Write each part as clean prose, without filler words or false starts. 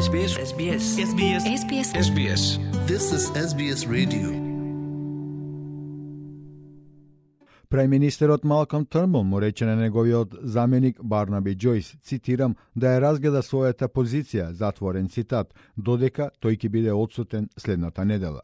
SBS. SBS. SBS. SBS. SBS. This is SBS Radio. Прајминистерот Малком Трнбул му рече на неговиот заменик Барнаби Џојс, цитирам, да ја разгледа својата позиција, затворен цитат, додека тој ќе биде отсутен следната недела.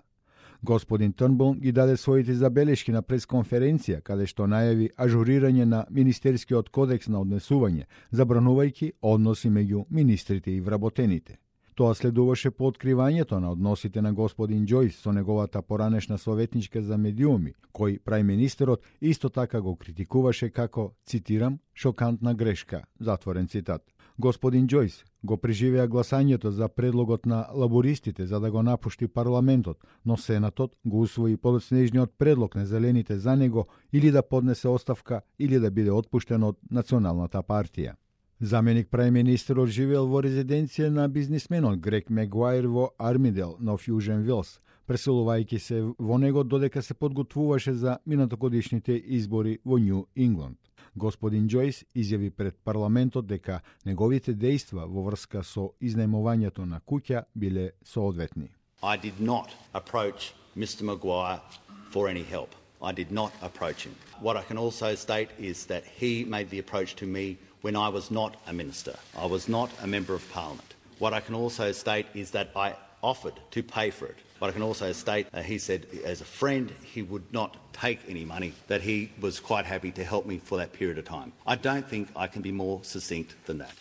Господин Трнбул ги даде своите забелешки на пресконференција, каде што најави ажурирање на Министерскиот кодекс на однесување, забранувајќи односи меѓу министрите и вработените. Тоа следуваше по откривањето на односите на господин Џојс со неговата поранешна советничка за медиуми, кој прајминистерот исто така го критикуваше како, цитирам, шокантна грешка, затворен цитат. Господин Џојс го преживеа гласањето за предлогот на лабористите за да го напушти парламентот, но Сенатот го усвои подоцнежниот предлог на зелените за него или да поднесе оставка или да биде отпуштен од Националната партија. Заменик прајминистерот живеел во резиденција на бизнисменот Грег Мегуајр во Армидел, Нов Јужен Велс, преселувајќи се во него додека се подготвуваше за минатогодишните избори во Њу Ингланд. Господин Џојс изјави пред парламентот дека неговите дејства во врска со изнајмувањето на куќа биле соодветни. I did not approach Mr. Maguire for any help. I did not approach him. What I can also state is that he made the approach to me when I was not a minister. I was not a member of parliament. What I can also state is that I offered to pay for it. But I can also state he said as a friend he would not take any money, that he was quite happy to help me for that period of time. I don't think I can be more succinct than that.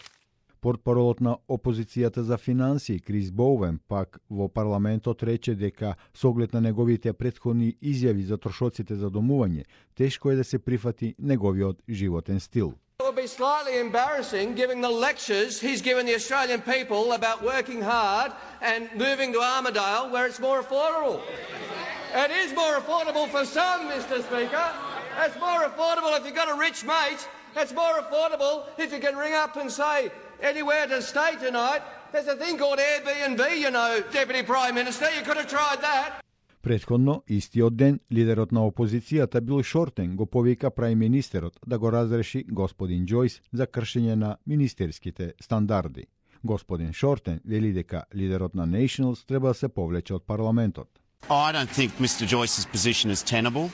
Портпаролот на опозицијата за финансии Крис Боуен пак во парламентот рече дека со оглед на неговите претходни изјави за трошоците за домување, тешко е да се прифати неговиот животен стил. It would be slightly embarrassing given the lectures he's given the Australian people about working hard and moving to Armidale where it's more affordable. It is more affordable for some, Mr. Speaker. It's more affordable if you've got a rich mate. It's more affordable if you can ring up and say, anywhere to stay tonight. There's a thing called Airbnb, you know, Deputy Prime Minister. You could have tried that. Претходно, истиот ден, лидерот на опозицијата Бил Шортен го повика прајминистерот да го разреши господин Џојс за кршење на министерските стандарди. Господин Шортен вели дека лидерот на Nationals треба да се повлече од парламентот. I don't think Mr. Joyce's position is tenable.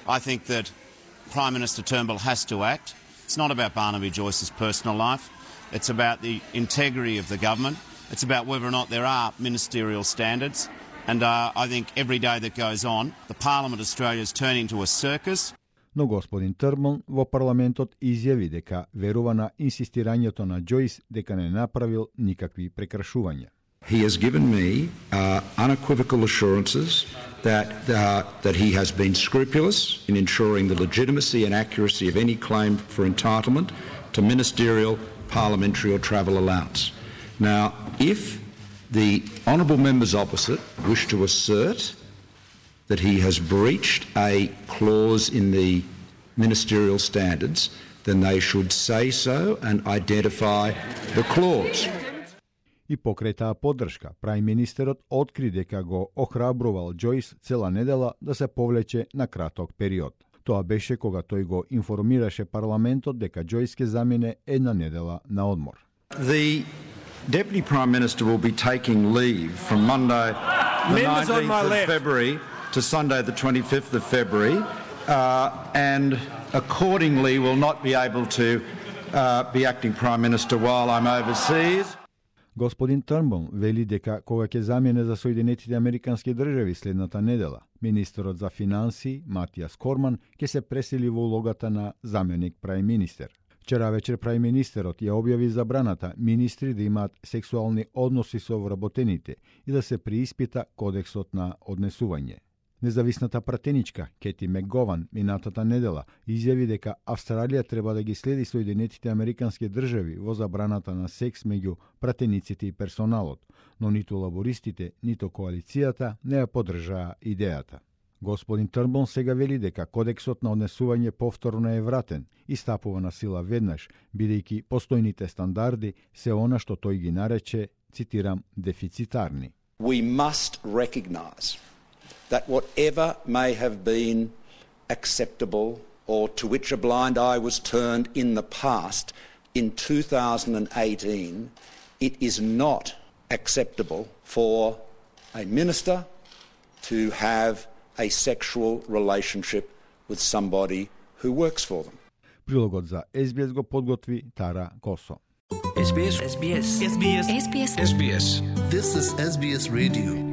I think that Prime Minister Turnbull has to act. It's not about Barnaby Joyce's personal life. It's about the integrity of the government. It's about whether or not there are ministerial standards. And I think every day that goes on, the Parliament of Australia is turning into a circus. Но господин Трнбул во парламентот изјави дека верува на инсистирањето на Џојс дека не направил никакви прекршувања. He has given me unequivocal assurances that he has been scrupulous in ensuring the legitimacy and accuracy of any claim for entitlement to ministerial, parliamentary or travel allowance. Now, if the honourable members opposite wish to assert that he has breached a clause in the ministerial standards, then they should say so and identify the clause. И покрај таа поддршка, прајминистерот откри дека го охрабрувал Џојс цела недела да се повлече на краток период. Тоа беше кога тој го информираше парламентот дека Џојс ќе замине една недела на одмор. The Deputy Prime Minister will be taking leave from Monday the 19th of February to Sunday the 25th of February and accordingly will not be able to be acting Prime Minister while I'm overseas. Господин Трнбул вели дека кога ќе замине за Соединетите Американски држави следната недела, министерот за финансии Матијас Корман ќе се пресели во улогата на заменик прајминистер. Вчера вечер прајминистерот ја објави забраната министри да имаат сексуални односи со вработените и да се преиспита кодексот на однесување. Независната пратеничка Кети Мекгован минатата недела изјави дека Австралија треба да ги следи Соединетите Американски држави во забраната на секс меѓу пратениците и персоналот, но ниту лабористите, ниту коалицијата не ја поддржаа идејата. Господин Трнбул сега вели дека кодексот на однесување повторно е вратен и стапува на сила веднаш, бидејќи постојните стандарди се она што тој ги нарече, цитирам, дефицитарни. We must recognise that whatever may have been acceptable or to which a blind eye was turned in the past, in 2018, it is not acceptable for a minister to have a sexual relationship with somebody who works for them. Прилогот за SBS го подготви Тара Косо. This is SBS Radio.